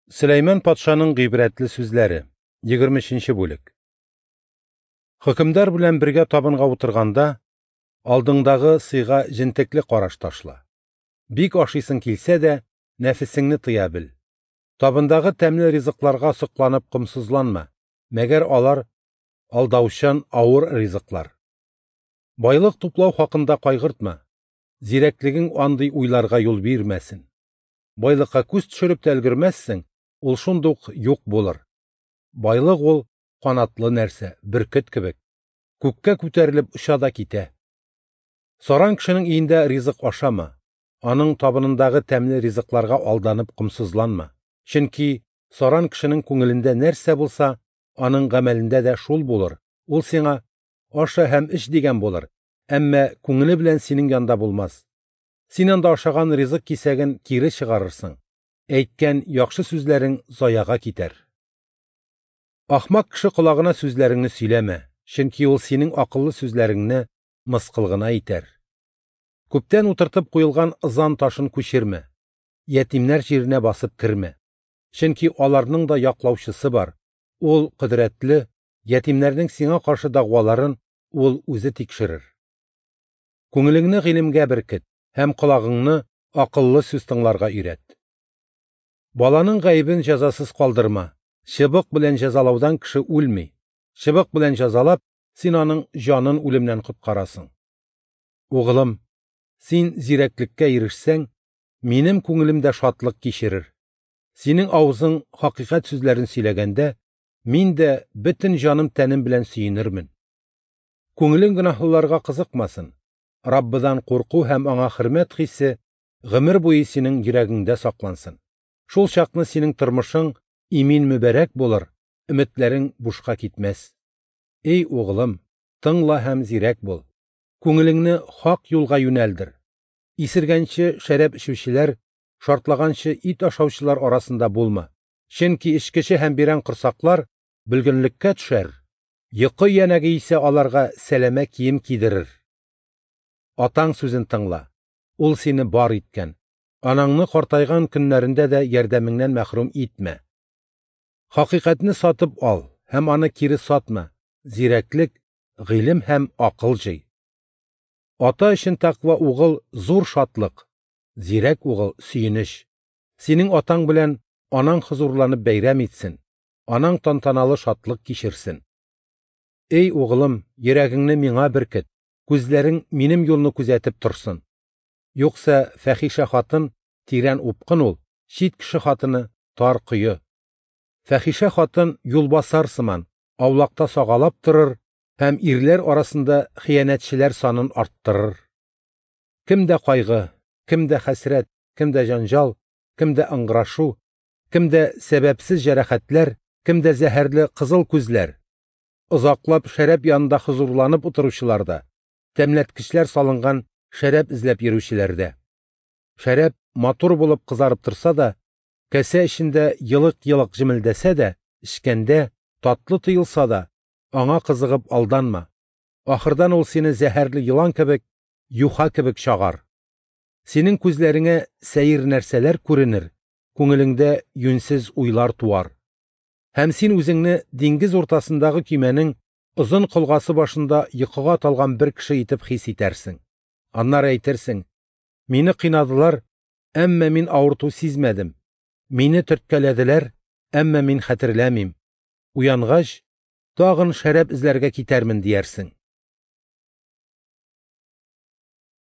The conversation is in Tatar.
Сөләйман патшаның гыйбрәтле сүзләре. 23 бүлек. Хөкемдар белән бергә табынга утырганда, алдыңдагы сыйга җентекле караш ташла. Бик ашыйсың килсә дә, нәфесеңне тыя бел. Табындагы тәмле ризыкларга сокланып комсызланма, мәгәр алар алдаучан авыр ризыклар. Байлык туплау хакында кайгыртма, зирәклегең андый уйларга юл бирмәсен. Байлыкка күз төшереп тә өлгермәссең, ул шундук юк булыр. Байлык ул канатлы нәрсә, бөркет кебек. Күккә күтәрелеп оча да китә. Саран кешенең өендә ризык ашама, аның табынындагы тәмле ризыкларга алданып комсызланма. Чөнки саран кешенең күңелендә нәрсә булса, аның гамәлендә дә шул булыр. Ул сиңа аша һәм эч дигән булыр, әмма күңеле белән синең янда булмас. Син анда ашаган ризык кисәген кире чыгарырсың. Әйткән яхшы сүзләрең заяга китәр. Ахмак кеше колагына сүзләреңне сөйләмә, чөнки ул синең акыллы сүзләреңне мыскыл гына итәр. Күптән утыртып куелган ызан ташын күчермә, ятимнәр җиренә басып кермә. Чөнки аларның да яклаучысы бар. Ул кодрәтле, ятимнәрнең сиңа каршы дәгъваларын ул үзе тикшерер. Күңелеңне гыйлемгә беркет һәм колагыңны акыллы сүз тыңларга өйрәт. Баланың гаебен җәзасыз калдырма. Чыбык белән җәзалаудан кеше үлми. Чыбык белән җәзалап, син аның җанын үлемнән коткарасың. Угылым, син зирәклеккә ирешсәң, минем күңелем дә шатлык кичерер. Синең авызың хакыйкать сүзләрен сөйләгәндә, мин дә бөтен җаным тәнем белән сөенермен. Күңелең гөнаһлыларга кызыкмасын. Раббыдан курку һәм аңа хөрмәт хисе гомер буе синең йөрәгеңдә саклансын. Шул чакны синең тормышың имин мөбарәк булыр, өметләрең бушка китмәс. Эй угылым, тыңла һәм зирәк бул. Күңелеңне хак юлга юнәлдер. Исергәнче шәраб эчүчеләр, шартлаганчы ит ашаучылар арасында булма. Чөнки эчкече һәм бирән корсаклар бөлгенлеккә төшәр. Йокы янәге исә аларга сәләмә кием кидерер. Атаң сүзен тыңла. Ул сине бар иткән. Анаңны картайган көннәрендә дә ярдәмеңнән мәхрүм итмә. Хакыйкатьне сатып ал һәм аны кире сатма. Зирәклек, гыйлем һәм акыл җый. Ата өчен тәкъва угыл зур шатлык, зирәк угыл сөенеч. Синең атаң белән анаң хозурланып бәйрәм итсен, анаң тантаналы шатлык кичерсен. Эй угылым, йөрәгеңне миңа беркет, күзләрең минем юлны күзәтеп торсын. Юкса фәхишә хатын тирән упкын ул, чит кеше хатыны тар кое. Фәхишә хатын юлбасар сыман, аулакта сагалап торыр һәм ирләр арасында хыянәтчеләр санын арттырыр. Кемдә кайгы, кемдә хәсрәт, кемдә җанҗал, кемдә ыңгырашу, кемдә сәбәпсез җәрәхәтләр, кемдә зәһәрле кызыл күзләр. Озаклап шәраб янында хозурланып утыручыларда, тәмләткечләр салынган шәраб эзләп йөрүчеләрдә. Шәраб матур булып кызарып торса да, кәсә эчендә елык-елык җемелдәсә дә, эчкәндә татлы тоелса да, аңа кызыгып алданма. Ахырдан ул сине зәһәрле елан кебек, юха кебек чагар. Синең күзләреңә сәер нәрсәләр күренер, күңелеңдә юньсез уйлар туар. Һәм син үзеңне диңгез уртасындагы көймәнең озын колгасы башында йокыга талган бер кеше итеп хис итәрсең. Аннары әйтерсең: мине кыйнадылар, әмма мин авырту сизмәдем. Мине төрткәләделәр, әмма мин хәтерләмим. Уянгач, тагын шәраб эзләргә китәрмен диярсең.